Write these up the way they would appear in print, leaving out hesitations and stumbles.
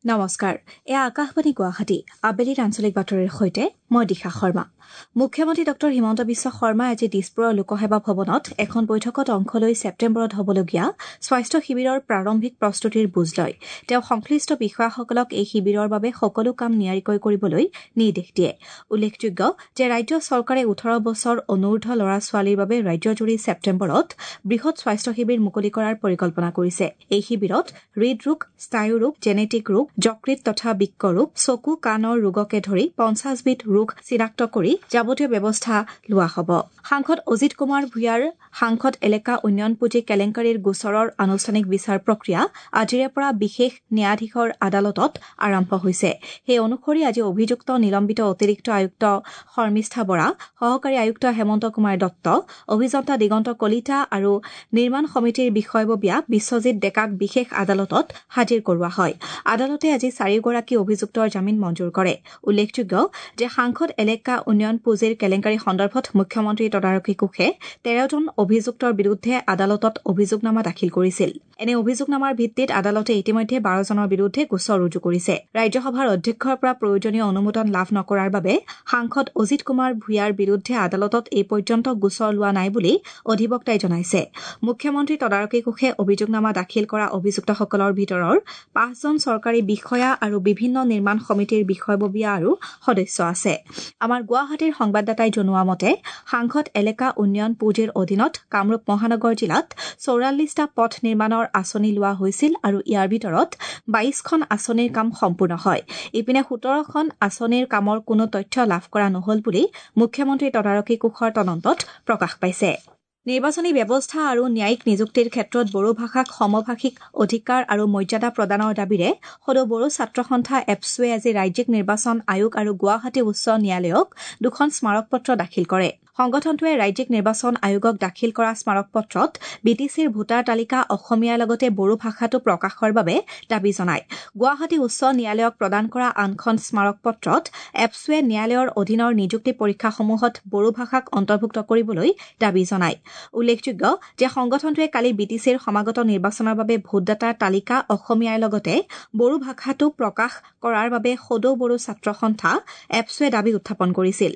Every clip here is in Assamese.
নমস্কাৰ, এয়া আকাশবাণী গুৱাহাটী। আবেলিৰ আঞ্চলিক বাতৰিৰ সৈতে মই দিশা শৰ্মা। মুখ্যমন্ত্ৰী ডঃ হিমন্ত বিশ্ব শৰ্মাই আজি দিছপুৰৰ লোকসেৱা ভৱনত এখন বৈঠকত অংশ লৈ ছেপ্টেম্বৰত হ'বলগীয়া স্বাস্থ্য শিবিৰৰ প্ৰাৰম্ভিক প্ৰস্তুতিৰ বুজ লয়। তেওঁ সংশ্লিষ্ট বিষয়াসকলক এই শিবিৰৰ বাবে সকলো কাম নিয়াৰিকৈ কৰিবলৈ নিৰ্দেশ দিয়ে। উল্লেখযোগ্য যে ৰাজ্য চৰকাৰে ১৮ বছৰ অনুৰ্ধ ল'ৰা ছোৱালীৰ বাবে ৰাজ্যজুৰি ছেপ্টেম্বৰত বৃহৎ স্বাস্থ্য শিবিৰ মুকলি কৰাৰ পৰিকল্পনা কৰিছে। এই শিবিৰত হৃদৰোগ, স্নায়ুৰোগ, জেনেটিক ৰোগ, যকৃত তথা বৃক্ক ৰোগ, চকু কাণৰ ৰোগকে ধৰি ৫০বিধ ৰোগ চিনাক্ত কৰি যাৱতীয় ব্যৱস্থা লোৱা হ'ব। সাংসদ অজিত কুমাৰ ভূঞাৰ সাংসদ এলেকা উন্নয়ন পুঁজি কেলেংকাৰীৰ গোচৰৰ আনুষ্ঠানিক বিচাৰ প্ৰক্ৰিয়া আজিৰে পৰা বিশেষ ন্যায়াধীশৰ আদালতত আৰম্ভ হৈছে। সেই অনুসৰি আজি অভিযুক্ত নিলম্বিত অতিৰিক্ত আয়ুক্ত শৰ্মিষ্ঠা বৰা, সহকাৰী আয়ুক্ত হেমন্ত কুমাৰ দত্ত, অভিযন্তা দিগন্ত কলিতা আৰু নিৰ্মাণ সমিতিৰ বিষয়ববীয়া বিশ্বজিৎ ডেকাক বিশেষ আদালতত হাজিৰ কৰোৱা হয়। আদালতে আজি চাৰিওগৰাকী অভিযুক্তৰ জামিন মঞ্জুৰ কৰে। উল্লেখযোগ্য যে সাংসদ এলেকা উন্নয়ন পুঁজিৰ কেলেংকাৰী সন্দৰ্ভত মুখ্যমন্ত্ৰীৰ তদাৰকী কোষে ১৩জন অভিযুক্তৰ বিৰুদ্ধে আদালতত অভিযোগনামা দাখিল কৰিছিল। এনে অভিযোগনামাৰ ভিত্তিত আদালতে ইতিমধ্যে ১২জনৰ বিৰুদ্ধে গোচৰ ৰুজু কৰিছে। ৰাজ্যসভাৰ অধ্যক্ষৰ পৰা প্ৰয়োজনীয় অনুমোদন লাভ নকৰাৰ বাবে সাংসদ অজিত কুমাৰ ভূঞাৰ বিৰুদ্ধে আদালতত এই পৰ্যন্ত গোচৰ লোৱা নাই বুলি অধিবক্তাই জনাইছে। মুখ্যমন্ত্ৰীৰ তদাৰকী কোষে অভিযোগনামা দাখিল কৰা অভিযুক্তসকলৰ ভিতৰৰ ৫জন চৰকাৰী বিষয়া আৰু বিভিন্ন নিৰ্মাণ সমিতিৰ বিষয়ববীয়া আৰু সদস্য আছে। আমাৰ গুৱাহাটীৰ সংবাদদাতাই জনোৱা মতে সাংসদ এলেকা উন্নয়ন পুঁজিৰ অধীনত কামৰূপ মহানগৰ জিলাত ৪৪টা পথ নিৰ্মাণৰ আঁচনি লোৱা হৈছিল আৰু ইয়াৰ ভিতৰত ২২খন আঁচনিৰ কাম সম্পূৰ্ণ হয়। ইপিনে ১৭খন আঁচনিৰ কামৰ কোনো তথ্য লাভ কৰা নহল বুলি মুখ্যমন্ত্ৰীৰ তদাৰকী কোষৰ তদন্তত প্ৰকাশ পাইছে। নিৰ্বাচনী ব্যৱস্থা আৰু ন্যায়িক নিযুক্তিৰ ক্ষেত্ৰত বড়ো ভাষাক সমভাষিক অধিকাৰ আৰু মৰ্যাদা প্ৰদানৰ দাবীৰে সদৌ বড়ো ছাত্ৰ সন্থা এপছুৱে আজি ৰাজ্যিক নিৰ্বাচন আয়োগ আৰু গুৱাহাটী উচ্চ ন্যায়ালয়ক দুখন স্মাৰকপত্ৰ দাখিল কৰে। সংগঠনটোৱে ৰাজ্যিক নিৰ্বাচন আয়োগক দাখিল কৰা স্মাৰকপত্ৰত বিটিচিৰ ভোটাৰ তালিকা অসমীয়াৰ লগতে বড়ো ভাষাটো প্ৰকাশৰ বাবে দাবী জনায়। গুৱাহাটী উচ্চ ন্যায়ালয়ক প্ৰদান কৰা আনখন স্মাৰকপত্ৰত এপছুৱে ন্যায়ালয়ৰ অধীনৰ নিযুক্তি পৰীক্ষাসমূহত বড়ো ভাষাক অন্তৰ্ভুক্ত কৰিবলৈ দাবী জনায়। উল্লেখযোগ্য যে সংগঠনটোৱে কালি বিটিচিৰ সমাগত নিৰ্বাচনৰ বাবে ভোটদাতাৰ তালিকা অসমীয়াৰ লগতে বড়ো ভাষাটো প্ৰকাশ কৰাৰ বাবে সদৌ বড়ো ছাত্ৰ সন্থা এপছুৱে দাবী উত্থাপন কৰিছিল।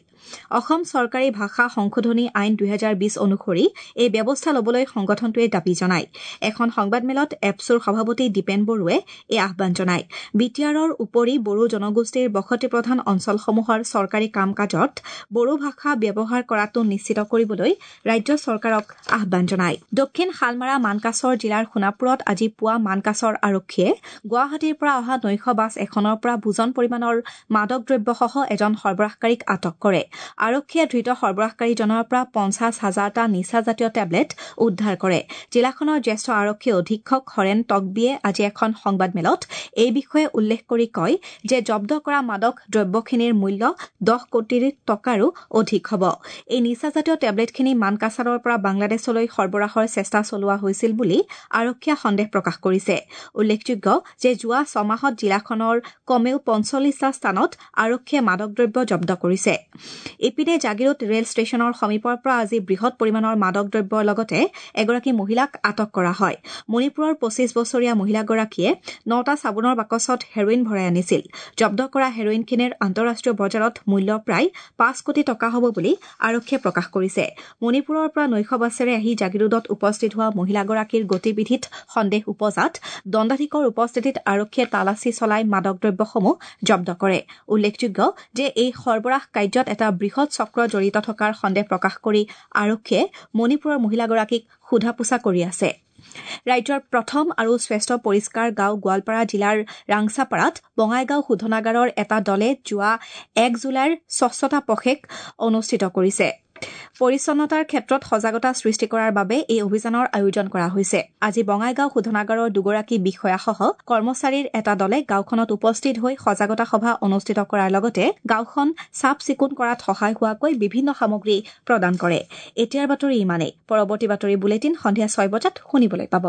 অসম চৰকাৰী ভাষা সংশোধনী আইন ২০২০ অনুসৰি এই ব্যৱস্থা ল'বলৈ সংগঠনটোৱে দাবী জনায়। এখন সংবাদমেলত এপছুৰ সভাপতি দীপেন বড়োৱে এই আহ্বান জনায়। বিটিআৰৰ উপৰি বড়ো জনগোষ্ঠীৰ বসতিপ্ৰধান অঞ্চলসমূহৰ চৰকাৰী কাম কাজত বড়ো ভাষা ব্যৱহাৰ কৰাটো নিশ্চিত কৰিবলৈ ৰাজ্য চৰকাৰক আহ্বান জনায়। দক্ষিণ শালমাৰা মানকাচৰ জিলাৰ সোণাপুৰত আজি পুৱা মানকাচৰ আৰক্ষীয়ে গুৱাহাটীৰ পৰা অহা নৈশ বাছ এখনৰ পৰা বুজন পৰিমাণৰ মাদক দ্ৰব্যসহ এজন সৰবৰাহকাৰীক আটক কৰে। আৰক্ষীয়ে ধৃত সৰবৰাহকাৰীজনৰ পৰা ৫০ হাজাৰটা নিচাজাতীয় টেবলেট উদ্ধাৰ কৰে। জিলাখনৰ জ্যেষ্ঠ আৰক্ষী অধীক্ষক হৰেণ টকবিয়ে আজি এখন সংবাদমেলত এই বিষয়ে উল্লেখ কৰি কয় যে জব্দ কৰা মাদক দ্ৰব্যখিনিৰ মূল্য ১০ কোটি টকাৰো অধিক হ'ব। এই নিচাজাতীয় টেবলেটখিনি মানকাছাৰৰ পৰা বাংলাদেশলৈ সৰবৰাহৰ চেষ্টা চলোৱা হৈছিল বুলি আৰক্ষীয়ে সন্দেহ প্ৰকাশ কৰিছে। উল্লেখযোগ্য যে যোৱা ছমাহত জিলাখনৰ কমেও ৪৫টা স্থানত আৰক্ষীয়ে মাদক দ্ৰব্য জব্দ কৰিছে। ইপিনে জাগিৰোড ৰেল ষ্টেচনৰ সমীপৰ পৰা আজি বৃহৎ পৰিমাণৰ মাদক দ্ৰব্যৰ লগতে এগৰাকী মহিলাক আটক কৰা হয়। মণিপুৰৰ ২৫ বছৰীয়া মহিলাগৰাকীয়ে ৯টা চাবোনৰ বাকচত হেৰইন ভৰাই আনিছিল। জব্দ কৰা হেৰইনখিনিৰ আন্তঃৰাষ্ট্ৰীয় বজাৰত মূল্য প্ৰায় ৫ কোটি টকা হ'ব বুলি আৰক্ষীয়ে প্ৰকাশ কৰিছে। মণিপুৰৰ পৰা নৈশ বাছেৰে আহি জাগিৰোডত উপস্থিত হোৱা মহিলাগৰাকীৰ গতিবিধিত সন্দেহ উপজাত দণ্ডাধীশৰ উপস্থিতিত আৰক্ষীয়ে তালাচী চলাই মাদক দ্ৰব্যসমূহ জব্দ কৰে। উল্লেখযোগ্য যে এই সৰবৰাহ কাৰ্যত এটা বৃহৎ চক্ৰ জড়িত থকাৰ সন্দেহ প্ৰকাশ কৰি আৰক্ষীয়ে মণিপুৰৰ মহিলাগৰাকীক সোধা পোছা কৰি আছে। ৰাজ্যৰ প্ৰথম আৰু শ্ৰেষ্ঠ পৰিষ্কাৰ গাঁও গোৱালপাৰা জিলাৰ ৰাংচাপাৰাত বঙাইগাঁও শোধনাগাৰৰ এটা দলে যোৱা ১ জুলাইৰ স্বচ্ছতা পষেক অনুষ্ঠিত কৰিছে। পৰিচ্ছন্নতাৰ ক্ষেত্ৰত সজাগতা সৃষ্টি কৰাৰ বাবে এই অভিযানৰ আয়োজন কৰা হৈছে। আজি বঙাইগাঁও শোধনাগাৰৰ দুগৰাকী বিষয়াসহ কৰ্মচাৰীৰ এটা দলে গাঁওখনত উপস্থিত হৈ সজাগতা সভা অনুষ্ঠিত কৰাৰ লগতে গাঁওখন চাফ চিকুণ কৰাত সহায় হোৱাকৈ বিভিন্ন সামগ্ৰী প্ৰদান কৰে। এতিয়াৰ বাতৰি ইমানেই। পৰৱৰ্তী বাতৰি বুলেটিন সন্ধিয়া ৬ বজাত শুনিবলৈ পাব।